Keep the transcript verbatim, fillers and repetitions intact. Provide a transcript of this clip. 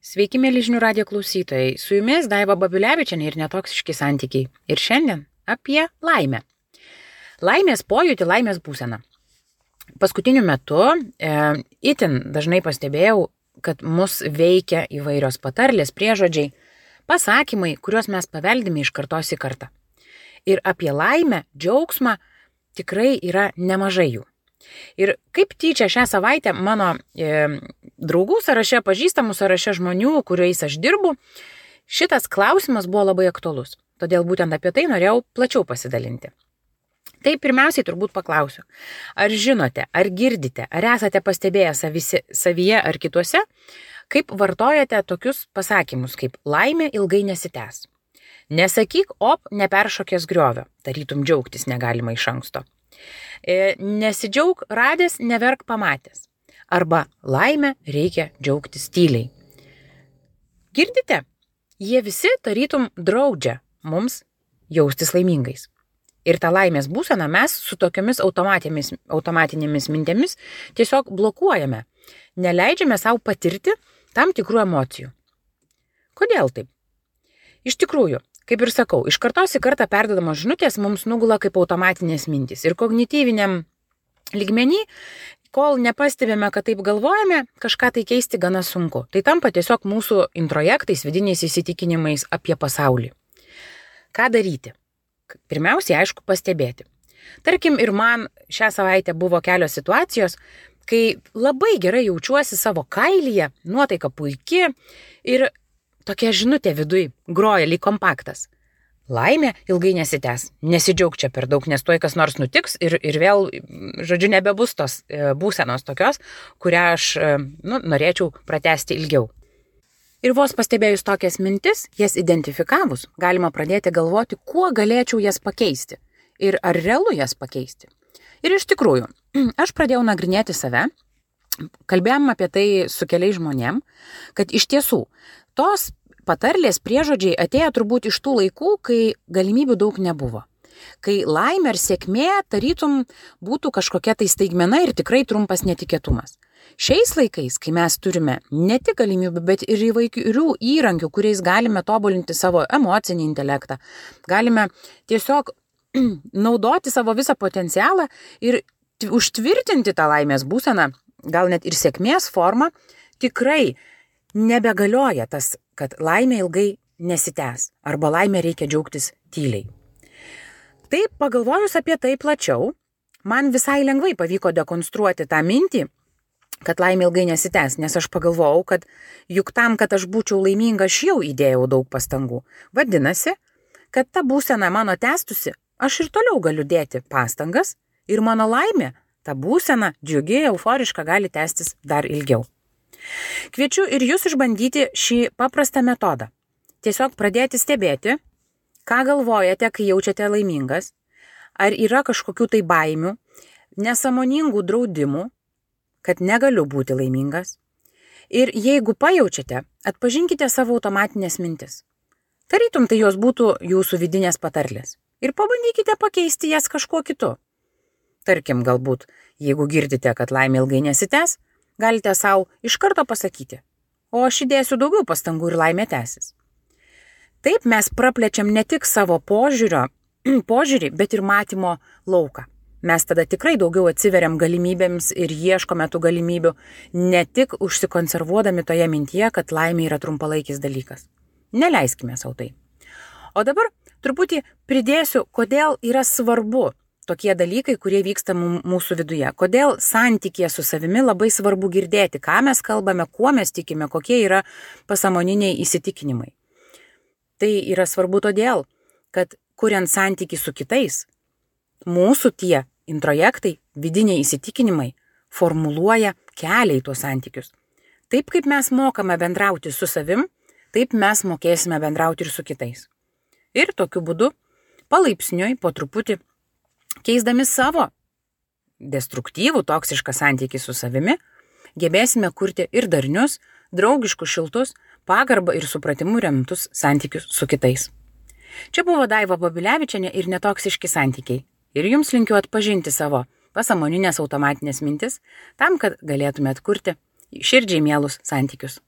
Sveiki, mėly žinių radijo klausytojai. Su jumis Daiva Babilevičienė ir netoksiški santykiai. Ir šiandien apie laimę. Laimės pojūtį, laimės būseną. Paskutiniu metu e, itin dažnai pastebėjau, kad mus veikia įvairios patarlės, priežodžiai, pasakymai, kuriuos mes paveldime iš kartos į kartą. Ir apie laimę, džiaugsmą tikrai yra nemažai jų. Ir kaip tyčia šią savaitę mano e, draugų sąraše, pažįstamų sąraše žmonių, kuriais aš dirbu, šitas klausimas buvo labai aktualus. Todėl būtent apie tai norėjau plačiau pasidalinti. Tai pirmiausiai turbūt paklausiu, ar žinote, ar girdite, ar esate pastebėję savisi, savyje ar kituose, kaip vartojate tokius pasakymus, kaip laimė ilgai nesitęs. Nesakyk, op, neperšokęs griovio, tarytum džiaugtis negalima iš anksto. Nesidžiaug radęs, neverk pamatęs. Arba laimę reikia džiaugtis tyliai. Girdite? Jie visi tarytum draudžia mums jaustis laimingais. Ir tą laimės būseną mes su tokiamis automatinėmis mintimis tiesiog blokuojame. Neleidžiame savo patirti tam tikrų emocijų. Kodėl taip? Iš tikrųjų, kaip ir sakau, iš kartos į kartą perduodamos žinutės mums nugula kaip automatinės mintys. Ir kognityviniam lygmenį, kol nepastebėme, kad taip galvojame, kažką tai keisti gana sunku. Tai tampa tiesiog mūsų introjektais, vidiniais įsitikinimais apie pasaulį. Ką daryti? Pirmiausiai, aišku, pastebėti. Tarkim, ir man šią savaitę buvo kelios situacijos, kai labai gerai jaučiuosi savo kailyje, nuotaika puiki ir tokia žinutė viduj groja lyg kompaktas. Laimė ilgai nesitęs, nesidžiauk čia per daug, nes tuoj kas nors nutiks ir, ir vėl, žodžiu, nebebus tos e, būsenos tokios, kurią aš e, nu, norėčiau pratęsti ilgiau. Ir vos pastebėjus tokias mintis, jas identifikavus, galima pradėti galvoti, kuo galėčiau jas pakeisti ir ar realu jas pakeisti. Ir iš tikrųjų, aš pradėjau nagrinėti save, kalbėjom apie tai su keliais žmonėm, kad iš tiesų tos patarlės priežodžiai atėjo turbūt iš tų laikų, kai galimybių daug nebuvo. Kai laimė ir sėkmė tarytum būtų kažkokia tai staigmena ir tikrai trumpas netikėtumas. Šiais laikais, kai mes turime ne tik galimybių, bet ir įvairių įrankių, kuriais galime tobulinti savo emocinį intelektą, galime tiesiog naudoti savo visą potencialą ir užtvirtinti tą laimės būseną, gal net ir sėkmės formą, tikrai nebegalioja tas, kad laimė ilgai nesitęs arba laimė reikia džiaugtis tyliai. Taip, pagalvojus apie tai plačiau, man visai lengvai pavyko dekonstruoti tą mintį, kad laimė ilgai nesitęs, nes aš pagalvojau, kad juk tam, kad aš būčiau laiminga, aš jau įdėjau daug pastangų. Vadinasi, kad ta būsena mano tęstusi, aš ir toliau galiu dėti pastangas ir mano laimė, ta būsena, džiugi, euforiška, gali tęstis dar ilgiau. Kviečiu ir jūs išbandyti šį paprastą metodą. Tiesiog pradėti stebėti, ką galvojate, kai jaučiate laimingas, ar yra kažkokių tai baimių, nesąmoningų draudimų, kad negaliu būti laimingas. Ir jeigu pajaučiate, atpažinkite savo automatinės mintis. Tarytum tai jos būtų jūsų vidinės patarlės. Ir pabandykite pakeisti jas kažkuo kitu. Tarkim, galbūt, jeigu girdite, kad laimė ilgai nesitęs, galite savo iš karto pasakyti, o aš įdėsiu daugiau pastangų ir laimė tęsis. Taip mes praplečiam ne tik savo požiūrio, požiūrį, bet ir matymo lauką. Mes tada tikrai daugiau atsiveriam galimybėms ir ieškome tų galimybių, ne tik užsikonservuodami toje mintyje, kad laimė yra trumpalaikis dalykas. Neleiskime sau tai. O dabar truputį pridėsiu, kodėl yra svarbu tokie dalykai, kurie vyksta mūsų viduje. Kodėl santykėje su savimi labai svarbu girdėti, ką mes kalbame, kuo mes tikime, kokie yra pasąmoniniai įsitikinimai. Tai yra svarbu todėl, kad kuriant santykį su kitais, mūsų tie introjektai, vidiniai įsitikinimai formuluoja kelią į tuos santykius. Taip kaip mes mokame bendrauti su savim, taip mes mokėsime bendrauti ir su kitais. Ir tokiu būdu, palaipsniui, po truputį, keisdami savo destruktyvų, toksišką santykį su savimi, gebėsime kurti ir darnius, draugiškus, šiltus, pagarbą ir supratimu remtus santykius su kitais. Čia buvo Daiva Babilevičienė ir netoksiški santykiai. Ir jums linkiu atpažinti savo pasąmoninės automatinės mintis, tam, kad galėtumėt kurti širdžiai mielus santykius.